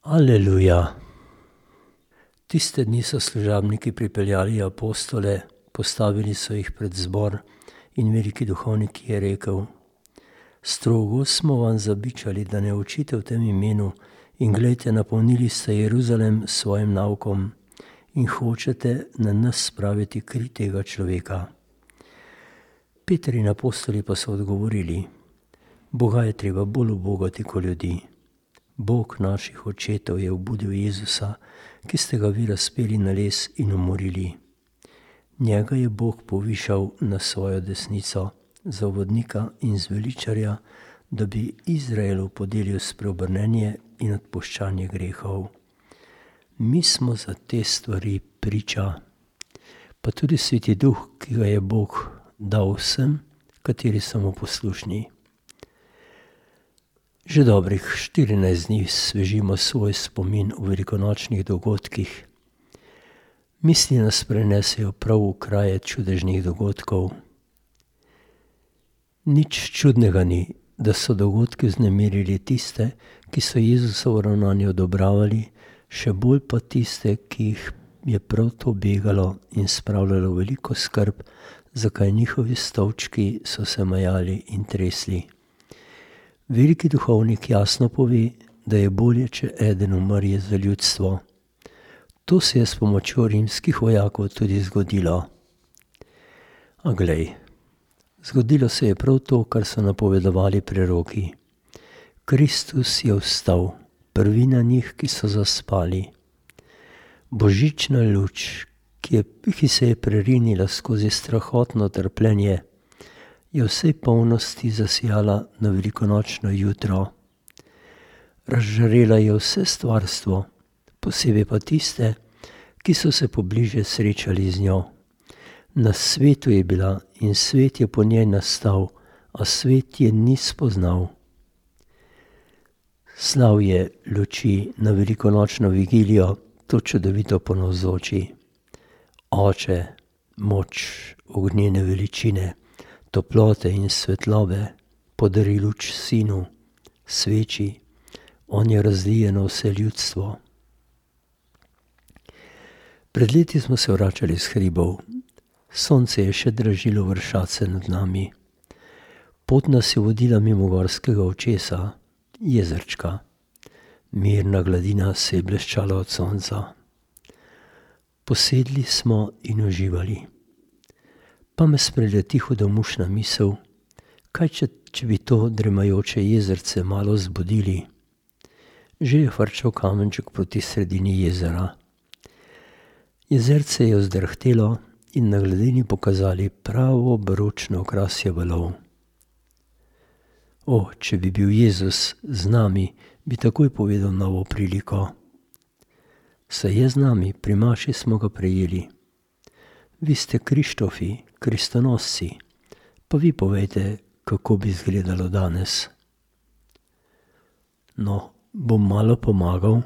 Aleluja. Tiste dni so služabniki pripeljali apostole, postavili so jih pred zbor in veliki duhovnik je rekel: Strogo smo vam zabičali, da ne učite v tem imenu, in glejte, napolnili ste Jeruzalem s svojim naukom in hočete na nas spraviti kri tega človeka. Peter in apostoli pa so odgovorili: Boga je treba bolj ubogati kot ljudi. Bog naših očetov je obudil Jezusa, ki ste ga vi razpeli na les in umorili. Njega je Bog povišal na svojo desnico za vodnika in zveličarja, da bi Izraelu podelil spreobrnenje in odpuščanje grehov. Mi smo za te stvari priča, pa tudi Sveti Duh, ki ga je Bog dal vsem, kateri so mu poslušni. Že dobrih 14 dni svežimo svoj spomin v velikonočnih dogodkih. Misli nas prenesejo prav v kraje čudežnih dogodkov. Nič čudnega ni, da so dogodki vznemirili tiste, ki so Jezusovo ravnanje odobravali, še bolj pa tiste, ki jih je prav to begalo in spravljalo veliko skrb, zakaj njihovi stolčki so se majali in tresli. Veliki duhovnik jasno pove, da je bolje, če eden umrje za ljudstvo. To se je s pomočjo rimskih vojakov tudi zgodilo. A glej, zgodilo se je prav to, kar so napovedovali preroki. Kristus je vstal, prvina njih, ki so zaspali. Božična luč, ki se je prerinila skozi strahotno trpljenje, je vsej polnosti zasijala na velikonočno jutro. Razžarela je vse stvarstvo, posebej pa tiste, ki so se pobliže srečali z njo. Na svetu je bila in svet je po njej nastal, a svet je ni spoznal. Slav je luči na velikonočno vigilijo, to čudovito ponavzoči. Oče, moč ognjene veličine, toplote in svetlobe, podari luč sinu, sveči, on je razlije na vse ljudstvo. Pred leti smo se vračali s hribov. Sonce je še dražilo vršace nad nami. Pot nas je vodila mimo gorskega očesa, jezerčka. Mirna gladina se je bleščala od sonca. Posedli smo in uživali. Pa me spreleti hudomušna misel, kaj če bi to dremajoče jezerce malo zbudili. Že je frčal kamenček proti sredini jezera. Jezerce je vzdrhtelo in na gladini pokazali pravo baročno okrasje valov. O, če bi bil Jezus z nami, bi takoj povedal novo priliko. Saj je z nami, pri maši smo ga prejeli. Vi ste Krištofi, kristonosci, pa vi povejte, kako bi izgledalo danes. No, bom malo pomagal.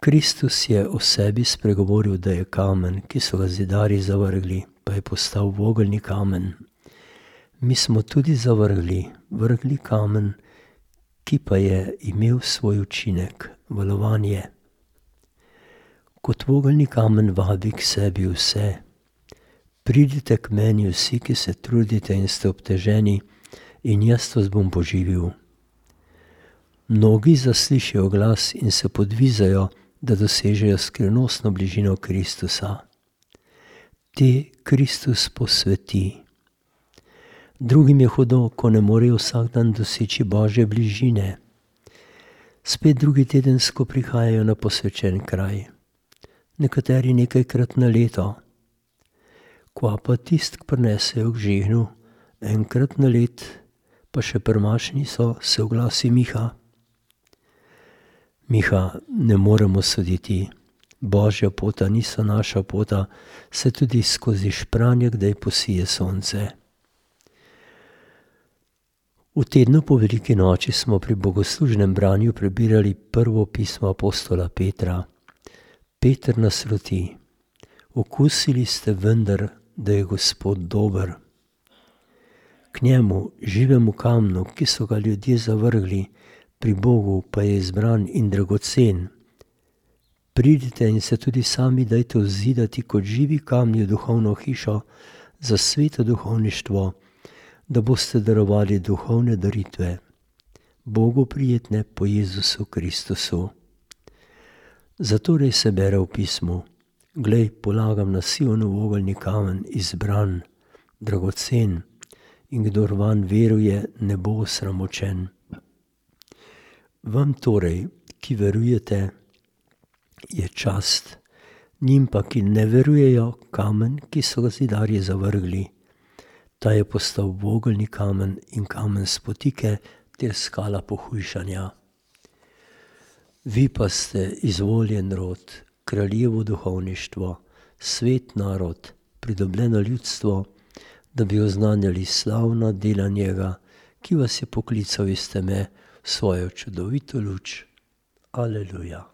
Kristus je o sebi spregovoril, da je kamen, ki so ga zidarji zavrgli, pa je postal vogelni kamen. Mi smo tudi vrgli kamen, ki pa je imel svoj učinek, valovanje. Kot vogelni kamen vabi k sebi vse. Pridite k meni vsi, ki se trudite in ste obteženi, in jaz vas bom poživil. Mnogi zaslišijo glas in se podvizajo, da dosežejo skrivnostno bližino Kristusa. Te Kristus posveti. Drugim je hudo, ko ne morejo vsak dan doseči Božje bližine. Spet drugi tedensko prihajajo na posvečen kraj. Nekateri nekajkrat na leto. Kva pa tist, ki prinesejo k žehnu, enkrat na let, pa še prmašni so, se oglasi Miha. Miha, ne moremo soditi. Božja pota niso naša pota, se tudi skozi špranje kdaj posije sonce. V tednu po veliki noči smo pri bogoslužnem branju prebirali prvo pismo apostola Petra. Peter nas roti. Okusili ste vendar, da je Gospod dober. K njemu, živemu kamnu, ki so ga ljudje zavrgli, pri Bogu pa je izbran in dragocen. Pridite in se tudi sami dajte vzidati kot živi kamni v duhovno hišo za sveto duhovništvo, da boste darovali duhovne daritve. Bogu prijetne po Jezusu Kristusu. Zatorej se bere v pismu: glej, polagam na Sionov ogeljni kamen, izbran, dragocen, in kdor vanj veruje, ne bo osramočen. Vam torej, ki verujete, je čast, njim pa, ki ne verujejo, kamen, ki so ga zidarji zavrgli. Ta je postal ogeljni kamen in kamen spotike ter skala pohujšanja. Vi pa ste izvoljen rod, kraljevo duhovništvo, svet narod, pridobljeno ljudstvo, da bi oznanjali slavna dela njega, ki vas je poklical iz teme v svojo čudovito luč. Aleluja.